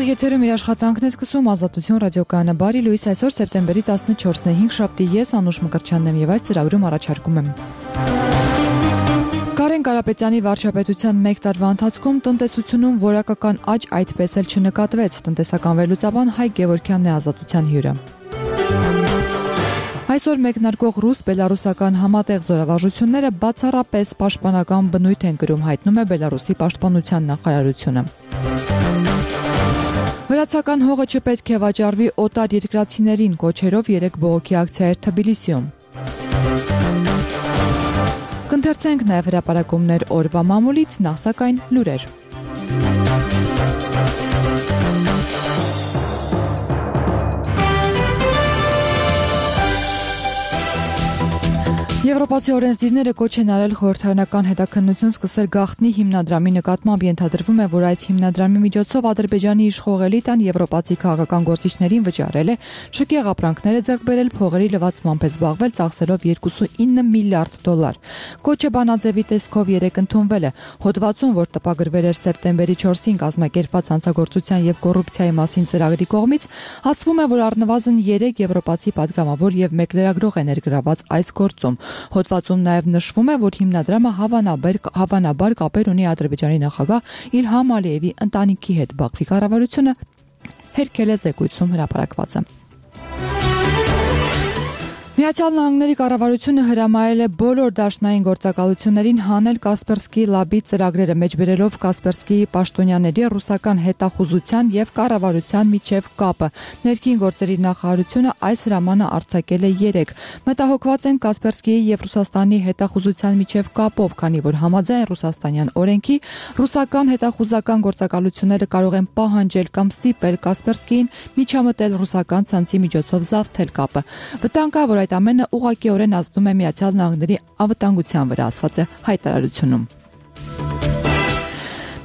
Եթերում իր աշխատանքն է սկսում Ազատություն ռադիոկայանը։ Բարի լույս, այսօր սեպտեմբերի 14-ն է, 5 շաբթի, ես Անուշ Մկրտչյանն եմ եւ այս ծրագրում առաջարկում եմ Կարեն Կարապետյանի վարչապետության 1 տարվա ընթացքում տնտեսությունում որակական աճ այդպես էլ չնկատվեց, տնտեսական վերլուծաբան Հայկ Գևորգյանն է Ազատության հյուրը։ Այսօր մեկնարկող ռուս-բելարուսական համատեղ զորավարժությունները բացառապես պաշտպանական բնույթ են կրում, հայտնում է Բելարուսի պաշտպանության նախարարությունը։ Վրացական հողը չպետք է վաճառվի օտար երկրացիներին, կոչերով 3 բողոքի ակցիա էր Թբիլիսիում։ Կընթերցենք նաև հրապարակումներ օրվա մամուլից, նախ սակայն լուրեր։ Եվրոպացի օրենսդիրները կոչ են արել խորհրդարանական հետաքննություն սկսել գաղտնի հիմնադրամի նկատմամբ, ենթադրվում է, որ այս հիմնադրամի միջոցով Ադրբեջանի իշխող էլիտան եվրոպացի քաղաքական գործիչներին վճարել է շքեղ ապրանքներ ձեռք բերել, փողերի լվացմամբ է զբաղվել, ծախսելով $29 միլիարդ։ Կոչը բանաձևի տեսքով 3 ընդունվել է։ Հոդվածում, որ տպագրվել էր սեպտեմբերի 4-ին կազմակերպված հանցագործության եւ կոռուպցիայի մասին ծրագրի կողմից, ասվում է, որ առնվազն 3 եվրոպացի падգամավոր եւ 1 լրագրող է ներգրաված այս գործում։ Հոդվածում նաև նշվում է, որ հիմնադրամը հավանաբար կապեր ունի Ադրբեջանի նախագահ Իլհամ Ալիևի ընտանիքի հետ, Բաքվի կառավարությունը հերքել է զեկույցում հրապարակվածը։ Միացյալ Նահանգների կառավարությունը հրամայել է բոլոր դաշնային գործակալություններին հանել Կասպերսկի լաբի ծրագրերը, մեջբերելով Կասպերսկիի պաշտոնյաների ռուսական հետախուզության եւ կառավարության միջև կապը։ Ներքին գործերի նախարարությունը այս հրամանը արձակել է 3։ Մտահոգված են Կասպերսկիի եւ Ռուսաստանի հետախուզության միջև կապով, քանի որ համաձայն ռուսաստանյան օրենքի ռուսական հետախուզական գործակալությունները կարող են պահանջել կամ ստիպել Կասպերսկիին միջամտել ռուսական ցանցի միջոցով զավթել կապը։ Վտանգ կա, որ այդ ամենը ուղղակիորեն ազդում է Միացյալ Նահանգների անվտանգության վրա, ասված է հայտարարությունում։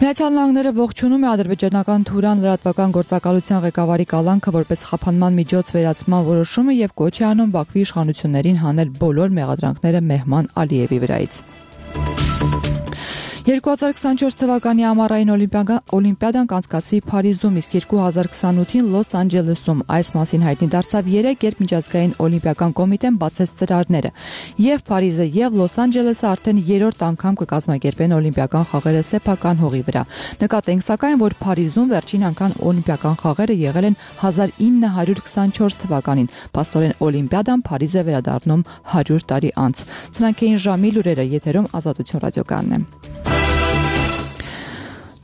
Միացյալ Նահանգները ողջունում է ադրբեջանական Թուրան լրատվական գործակալության ղեկավարի կալանքը որպես խափանման միջոց վերացման որոշումը եւ կոչ է անում Բաքվի իշխանություններին հանել բոլոր մեղադրանքները Մեհման Ալիևի վրայից։ 2024 թվականի ամառային օլիմպիադան կանցկացվի Փարիզում, իսկ 2028-ին Լոս Անջելեսում։ Այս մասին հայտնի դարձավ 3 երբ միջազգային օլիմպիական կոմիտեն բացեց ծրարները։ Եվ Փարիզը եւ Լոս Անջելեսը արդեն 3-րդ անգամ կկազմակերպեն օլիմպիական խաղերը սեփական հողի վրա։ Նկատենք սակայն, որ Փարիզում վերջին անգամ օլիմպիական խաղերը եղել են 1924 թվականին։ Փաստորեն օլիմպիադան Փարիզ է վերադառնում 100 տարի անց։ Սրանք էին ժամի լուրերը, եթերում Ազատություն ռադիոկայանն է։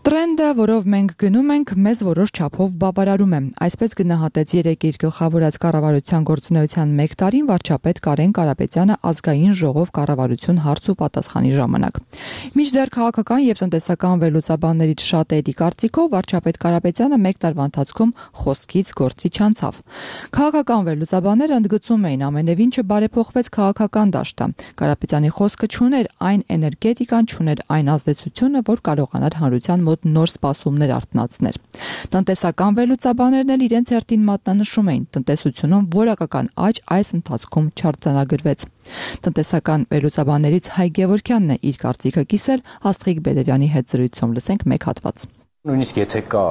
Տրենդը, որով մենք գնում ենք, մեզ որոշ չափով բավարարում է։ Այսպես գնահատեց 3 իր գլխավորած կառավարության գործունեության 1 տարին վարչապետ Կարեն Կարապետյանը ազգային ժողով կառավարություն հարց ու պատասխանի ժամանակ։ Մինչդեռ քաղաքական եւ տնտեսական վերլուծաբաններից շատերի կարծիքով վարչապետ Կարապետյանը 1 տարվա ընթացքում խոսքից գործի չանցավ։ Քաղաքական վերլուծաբանները ընդգծում էին ամենևին չբարեփոխվեց քաղաքական դաշտը։ Կարապետյանի խոսքը չուներ այն էներգետիկան, չուներ այն ազդեցությունը, որ կարողանար հանրության մոտ նոր սպասումներ արթնացներ։ Տնտեսական վերլուծաբաններն էլ իրենց հերթին մատնանշում էին, տնտեսությունում որակական աճ այս ընթացքում չարձանագրվեց։ Տնտեսական վերլուծաբաններից Հայկ Գևորգյանն է իր կարծիքը կիսել Աստղիկ Բեդևյանի հետ զրույցում, լսենք մեկ հատված։ Նույնիսկ եթե կա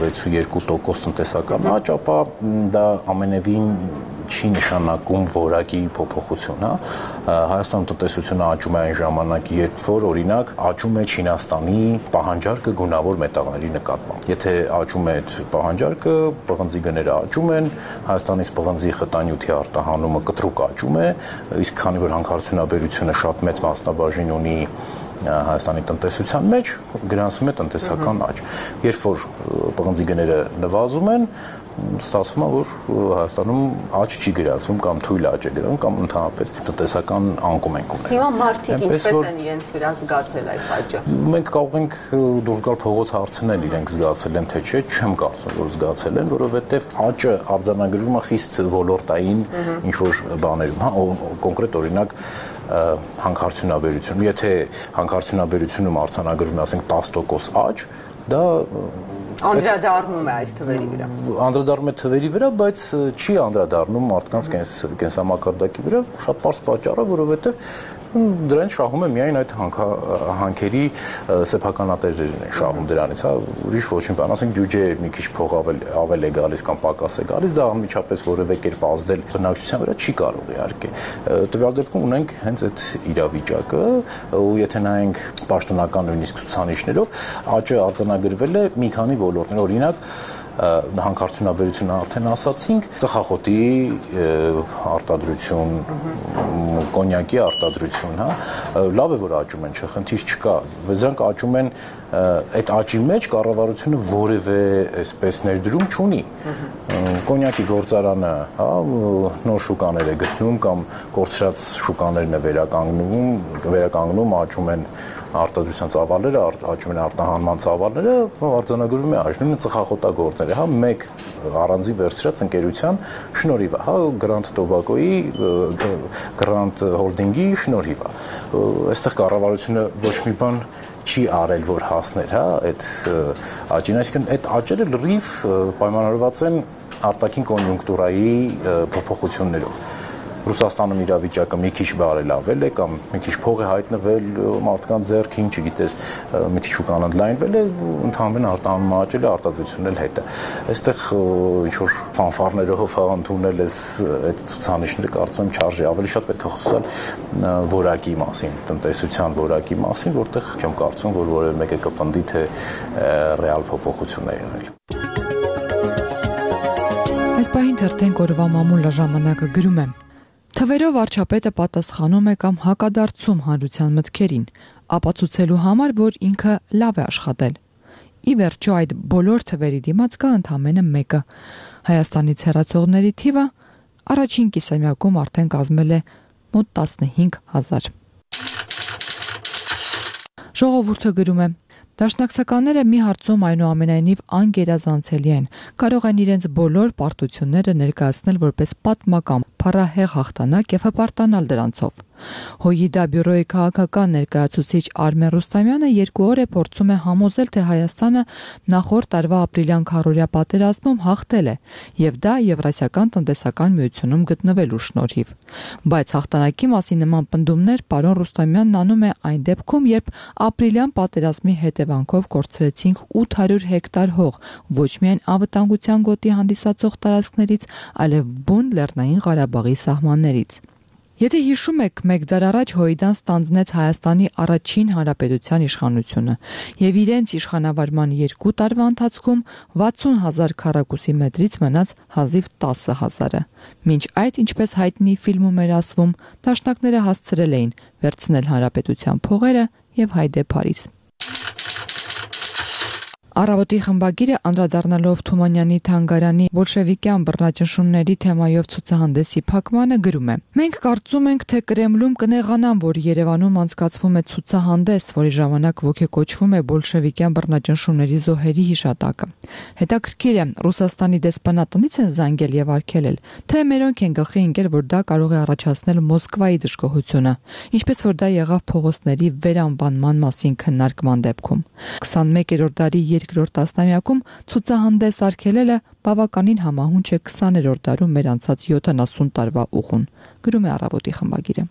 6.2% տնտեսական աճ, ապա դա ամենևին չի նշանակում որակի փոփոխություն, հա։ Հայաստանում տնտեսությունը աճում է այն ժամանակ, երբ որ օրինակ աճում է Չինաստանի պահանջարկը գունավոր մետաղների նկատմամբ։ Եթե աճում է այդ պահանջարկը, պղնձի գները աճում են, Հայաստանից պղնձի խտանյութի արտահանումը կտրուկ աճում է, իսկ քանի որ հանքարդյունաբերությունը շատ մեծ մասնաբաժին ունի Հայաստանի տնտեսության մեջ, գրանցում է տնտեսական աճ։ Երբ որ պղնձի գները նվազում են, ստացվում է, որ Հայաստանում աճ չի գրանցվում կամ թույլ աճ է գրանցվում կամ ընդհանրապես տնտեսական անկում ենք ունենում։ Հիմա մարդիկ ինչպես են իրենց վրա զգացել այս աճը։ Մենք կարող ենք դուրս գալ փողոց հարցնել իրենք զգացել են թե չէ, չեմ կարծում, որ զգացել են, որովհետև աճը արձանագրվում է խիստ ոլորտային ինչ-որ բաներում, հա, կոնկրետ օրինակ հանքարդյունաբերությունում, եթե հանքարդյունաբերությունում արձանագրվում է, ասենք 10% աճ, դա անդրադառնում է այս թվերի վրա։ Անդրադառնում է թվերի վրա, բայց չի անդրադառնում մարդկանց կենսամակարդակի վրա, շատ պարզ պատճառը, որովհետև Դրանից շահում է միայն այդ հանքերի սեփականատերերն են շահում դրանից, հա, ուրիշ ոչինչ բան, ասենք բյուջե մի քիչ փող ավել է գալիս կամ պակաս է գալիս, դա անմիջապես որևէ կերպ ազդել բնակչության վրա չի կարող իհարկե։ Տվյալ դեպքում ունենք հենց այդ իրավիճակը, ու եթե նայենք պաշտոնական նույնիսկ ցուցանիշներով, աճը արձանագրվել է մի քանի ոլորտներ, օրինակ հանքարդյունաբերությունը արդեն ասացինք, ծխախոտի արտադրություն, կոնյակի արտադրություն, հա, լավ է որ աճում են, խնդիր չկա, բայց դրանք աճում են այդ աճի մեջ կառավարությունը որևէ այսպես ներդրում չունի։ Կոնյակի գործարանը, հա, նոր շուկաներ է գտնում կամ կորցրած շուկաներն է վերականգնում, աճում են արտադրության ծավալները, աճում են արտահանման ծավալները, արձանագրվում է աճ, նույնը ծխախոտագործները, հա, մեկ առանձին վերցրած ընկերության շնորհիվ է, հա, Grand Tobacco-ի, Grand Holding-ի շնորհիվ է։ Այստեղ կառավարությունը ոչ մի բան չի արել, որ հասներ, հա, այդ աճին, այսինքն այդ աճերը լրիվ պայմանավորված են արտաքին կոնյունկտուրայի փոփոխություններով։ Ռուսաստանում իրավիճակը մի քիչ բարելավել է կամ մի քիչ փող է հայտնվել մարդկանց ձեռքին, չգիտես, մի քիչ շուկան ընդլայնվել է, ընդհանրապես արտահանումը աճել է, արտադրությունն էլ հետ է։ Այստեղ ինչ որ ֆանֆարներով ընդունել էս այդ ցուցանիշները կարծում եմ չարժի, ավելի շատ պետք է խոսալ որակի մասին, տնտեսության որակի մասին, որտեղ չեմ կարծում, որ որևէ մեկը կպնդի, թե ռեալ փոփոխություն է եղել։ Այս պահին թերթենք օրվա մամուլը ժամանակը գրում է. Թվերով վարչապետը պատասխանում է կամ հակադարձում հանրության մտքերին, ապացուցելու համար, որ ինքը լավ է աշխատել։ Ի վերջո այդ բոլոր թվերի դիմաց կա ընդամենը մեկը։ Հայաստանից հեռացողների թիվը առաջին կիսամյակում արդեն կազմել է մոտ 15,000։ Ժողովուրդը գրում է. Դաշնակցականները մի հարցում այնուամենայնիվ անգերազանցելի են, կարող են իրենց բոլոր պարտությունները ներկայացնել որպես պատմական փառահեղ հաղթանակ եւ հպարտանալ դրանցով։ ՀՅԴ բյուրոյի քաղաքական ներկայացուցիչ Արմեն Ռուստամյանը 2 օր է փորձում է համոզել, թե Հայաստանը նախորդ տարվա ապրիլյան քառորյա պատերազմում հաղթել է եւ դա Եվրասիական տնտեսական միությունում գտնվելու շնորհիվ։ Բայց հաղթանակի մասին նման պնդումներ պարոն Ռուստամյանն անում է այն դեպքում, երբ ապրիլյան պատերազմի հետևանքով կորցրեցինք 800 հեկտար հող ոչ միայն անվտանգության գոտի հանդիսացող տարածքներից, այլև բուն Լեռնային Ղարաբաղի սահմաններից։ Եթե հիշում եք, մեկ դար առաջ ՀՅԴ-ն ստանձնեց Հայաստանի առաջին հանրապետության իշխանությունը եւ իրենց իշխանավարման 2 տարվա ընթացքում 60,000 քառակուսի մետրից մնաց հազիվ 10,000-ը։ Մինչ այդ, ինչպես հայտնի ֆիլմում էր ասվում, դաշնակները հասցրել էին վերցնել հանրապետության փողերը եւ հայդե Փարիզ։ Առավոտի խմբագիրը անդրադառնալով Թումանյանի թանգարանի բոլշևիկյան բռնաճնշումների թեմայով ցուցահանդեսի փակմանը գրում է. Մենք կարծում ենք, թե Կրեմլում կնեղանան, որ Երևանում անցկացվում է ցուցահանդես, որի ժամանակ ոգեկոչվում է բոլշևիկյան բռնաճնշումների զոհերի հիշատակը։ Հետաքրքիր է, Ռուսաստանի դեսպանատնից են զանգել եւ արգելել, թե մերոնք են գլխի ընկել, որ դա կարող է առաջացնել Մոսկվայի դժգոհությունը, ինչպես որ դա եղավ փողոցների վերանվանման մասին քննարկման դեպքում։ 21-րդ դարի երկրորդ տասնամյակում ցուցահանդես արգելելը բավականին համահունչ է 20-րդ դարում մեր անցած 70 տարվա ուղուն, գրում է Առավոտի խմբագիրը։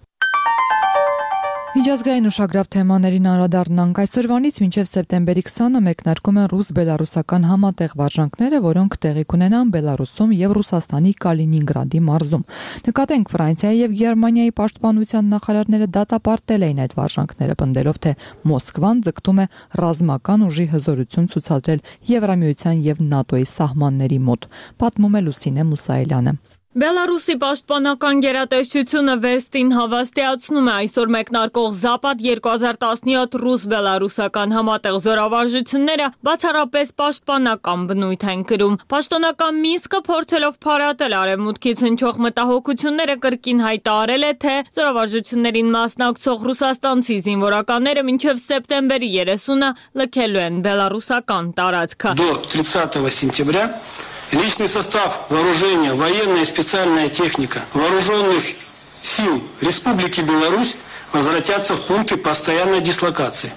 Միջազգային ուշագրավ թեմաներին անդրադառնանք։ Այսօրվանից մինչև սեպտեմբերի 20-ը մեկնարկում են ռուս-բելարուսական համատեղ վարժանքները, որոնք տեղի կունենան Բելարուսում եւ Ռուսաստանի Կալինինգրադի մարզում։ Նկատենք, Ֆրանսիայի եւ Գերմանիայի պաշտպանության նախարարները դատապարտել էին այդ վարժանքները, պնդելով, թե Մոսկվան ձգտում է ռազմական ուժի հզորություն ցուցադրել Եվրամիության եւ ՆԱՏՕ-ի սահմանների մոտ, պատմում է Լուսինե Մուսայելյանը։ Բելարուսի պաշտպանական գերատեսչությունը վերստին հավաստիացնում է այսօր մեկնարկող Զապադ 2017 ռուս-բելարուսական համատեղ զորավարժությունները բացառապես պաշտպանական բնույթ են կրում։ Պաշտոնական Մինսկը փորձելով փարատել արևմուտքից հնչող մտահոգությունները կրկին հայտարարել է, թե զորավարժություններին մասնակցող ռուսաստանցի զինվորականները մինչև սեպտեմբերի 30-ը լքելու են բելարուսական տարածքը։ До 30 сентября личный состав вооружения, военная и специальная техника вооруженных сил Республики Беларусь возвратятся в пункты постоянной дислокации,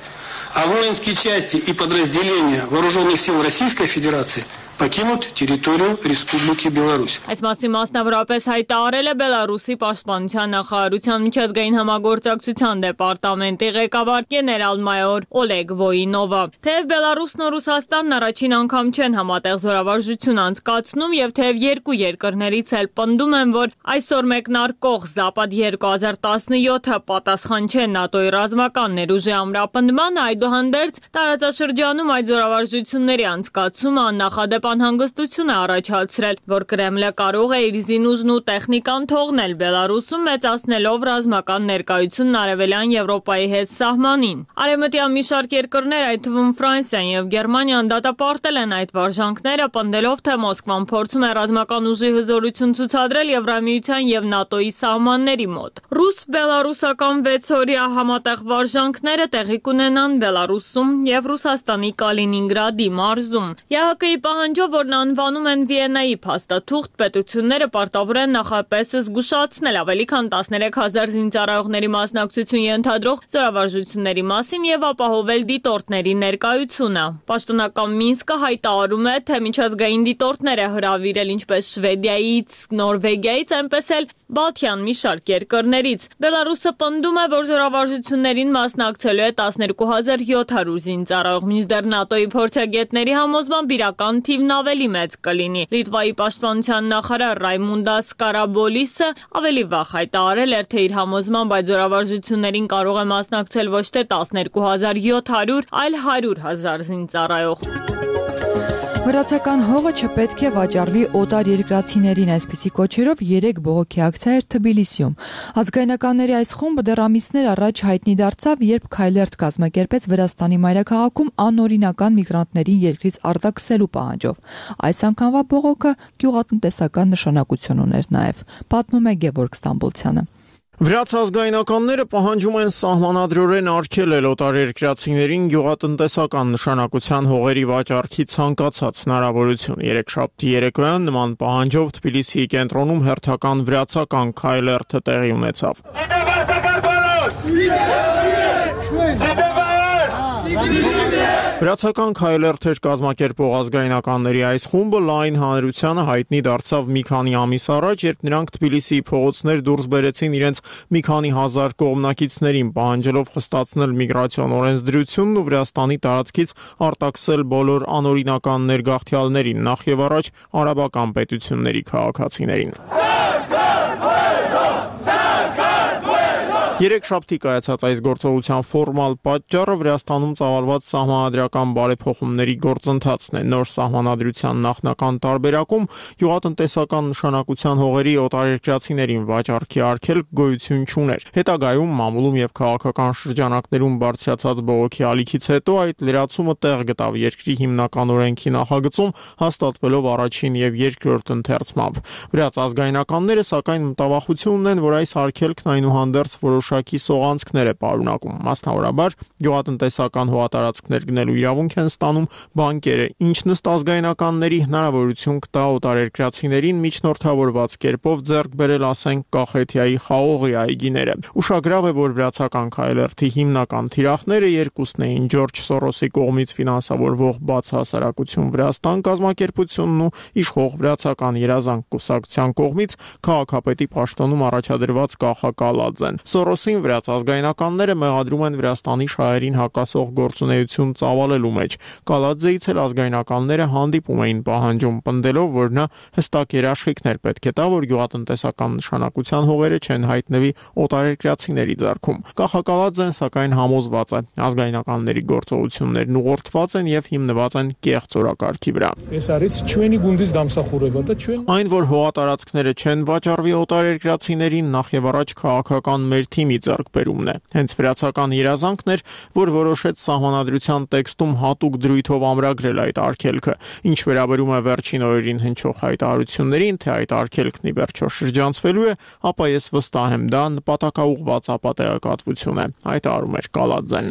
а воинские части и подразделения вооруженных сил Российской Федерации покинут территорию Республики Беларусь. Այս մասին մասնավորապես հայտարարել է Բելարուսի պաշտպանության նախարարության միջազգային համագործակցության դեպարտամենտի ղեկավար գեներալ-մայոր Օլեգ Վոյինովը։ Թեև Բելարուսն ու Ռուսաստանն առաջին անգամ չեն համատեղ զորավարժություն անցկացնում եւ թեև երկու երկրներից էլ պնդում են, որ այսօր մեկնարկող Զապադ 2017-ը պատասխան չէ ՆԱՏՕ-ի ռազմական ներուժի ամրապնդմանը, այդուհանդերձ տարածաշրջանում այդ զորավարժությունների անցկացումը աննախադեպ անհանգստություն է առաջացրել, որ Կրեմլը կարող է իր զինուժն ու տեխնիկան թողնել Բելարուսում, մեծացնելով ռազմական ներկայությունն Արևելյան Եվրոպայի հետ սահմանին։ Արևմտյան մի շարք երկրներ, այդ թվում Ֆրանսիան եւ Գերմանիան դատապարտել են այդ վարժանքները, պնդելով, թե Մոսկվան փորձում է ռազմական ուժի հզորություն ցուցադրել Եվրամիության եւ ՆԱՏՕ-ի սահմանների մոտ։ Ռուս-բելարուսական 6-օրյա համատեղ վարժանքները տեղի կունենան Բելարուսում եւ Ռուսաստանի Կալինինգրադի մարզում։ ԵԱՀԿ-ի պահանջով, որն անվանում են Վիեննայի փաստաթուղթ, պետությունները պարտավոր են նախապես զգուշացնել ավելի քան 13,000 զինծառայողների մասնակցություն ենթադրող զորավարժությունների մասին եւ ապահովել դիտորդների ներկայությունը։ Պաշտոնական Մինսկը հայտարարում է, թե միջազգային դիտորդներ է հրավիրել ինչպես Շվեդիայից, Նորվեգիայից, այնպես էլ Բալթյան մի շարք երկրներից։ Բելարուսը պնդում է, որ զորավարժություններին մասնակցելու է 12,700 զինծառայող, մինչդեռ ՆԱՏՕ-ի փորձագետների համոզմամբ իրական թիվն ավելի մեծ կլինի։ Լիտվայի պաշտպանության նախարար Ռայմունդաս Կարաբոլիսը ավելի վաղ հայտարարել էր, թե իր համոզմամբ այդ զորավարժություններին կարող է մասնակցել ոչ թե 12,700, այլ 100,000 զինծառայող։ Վրացական հողը չպետք է վաճառվի օտար երկրացիներին, այսպիսի կոչերով 3 բողոքի ակցիա էր Թբիլիսիում։ Ազգայնականների այս խումբը դեռ ամիսներ առաջ հայտնի դարձավ, երբ քայլերթ կազմակերպեց Վրաստանի մայրաքաղաքում անօրինական միգրանտներին երկրից արտաքսելու պահանջով։ Այս անգամվա բողոքը գյուղատնտեսական նշանակություն ուներ նաև, պատմում է Գևորգ Ստամբոլցյանը։ Վրաց ազգայնականները պահանջում են սահմանադրորեն արգելել օտարերկրացիներին գյուղատնտեսական նշանակության հողերի վաճառքի ցանկացած հնարավորություն։ Երեքշաբթի երեկոյան նման պահանջով Թբիլիսիի կենտրոնում հերթական վրացական քայլերթը տեղի ունեցավ։ Վրացական քայլերթեր կազմակերպող ազգայնականների այս խումբը լայն հանրությանը հայտնի դարձավ մի քանի ամիս առաջ, երբ նրանք Թբիլիսիի փողոցներ դուրս բերեցին իրենց մի քանի հազար կողմնակիցներին, պահանջելով խստացնել միգրացիոն օրենսդրությունն ու Վրաստանի տարածքից արտաքսել բոլոր անօրինական ներգաղթյալներին, նախ եւ առաջ արաբական պետությունների քաղաքացիներին։ Երեքշաբթի կայացած այս գործողության ֆորմալ պատճառը Վրաստանում ծավալված սահմանադրական բարեփոխումների գործընթացն է։ Նոր սահմանադրության նախնական տարբերակում գյուղատնտեսական նշանակության հողերի օտարերկրացիներին վաճառքի արգելք գոյություն չուներ։ Հետագայում մամուլում եւ քաղաքական շրջանակներում բարձրացած բողոքի ալիքից հետո այդ լրացումը տեղ գտավ երկրի հիմնական օրենքի նախագծում, հաստատվելով առաջին եւ երկրորդ ընթերցմամբ։ Վրաց ազգայնականները սակայն մտավախություն ունեն, որ այս արգելքն այնուհանդերձ որոշակի սողանցքներ է պարունակում։ Մասնավորաբար գյուղատնտեսական հողատարածքներ գնելու իրավունք են ստանում բանկերը, ինչն ըստ ազգայնականների հնարավորություն կտա օտարերկրացիներին միջնորդավորված կերպով ձեռք բերել, ասենք, Կախեթիայի խաղողի այգիները։ Ուշագրավ է, որ վրացական քայլերթի հիմնական թիրախները երկուսն էին՝ Ջորջ Սորոսի կողմից ֆինանսավորվող Բաց հասարակություն Վրաստան կազմակերպությունն ու իշխող Վրացական երազանք կուսակցության կողմից քաղաքապետի պաշտոնում առաջադրված Կախա Կալաձեն։ Սորոսին վրաց ազգայնականները մեղադրում են Վրաստանի շահերին հակասող գործունեություն ծավալելու մեջ։ Կալաձեից էլ ազգայնականները հանդիպում էին պահանջում, պնդելով, որ նա հստակ երաշխիքներ պետք է տա, որ գյուղատնտեսական նշանակության հողերը չեն հայտնվի օտարերկրացիների ձեռքում։ Կախա Կալաձեն սակայն համոզված է, ազգայնականների գործողություններն ուղղորդված են եւ հիմնված են կեղծ օրակարգի վրա։ Այն, որ հողատարածքները չեն վաճառվի օտարերկրացիներին, նախ եւ առաջ քաղաքական մեր թիմի ձեռքբերումն է։ Հենց վրացական երազանքն էր, որ որոշեց սահմանադրության տեքստում հատուկ դրույթով ամրագրել այդ արգելքը։ Ինչ վերաբերում է վերջին օրերին հնչող հայտարարություններին, թե այդ արգելքն ի վերջո շրջանցվելու է, ապա ես վստահ եմ, դա նպատակաուղղված ապատեակատվություն է, հայտարարում էր Կալաձեն։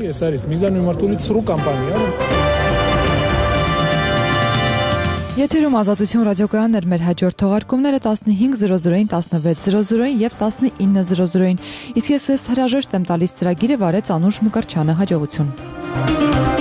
Եթերում Ազատություն ռադիոկայանն էր, մեր հաջորդ թողարկումները 15:00-ին, 16:00-ին եւ 19:00-ին։ Իսկ ես հրաժեշտ եմ տալիս ծրագիրը վարեց Անուշ Մկրչյանը, հաջողություն։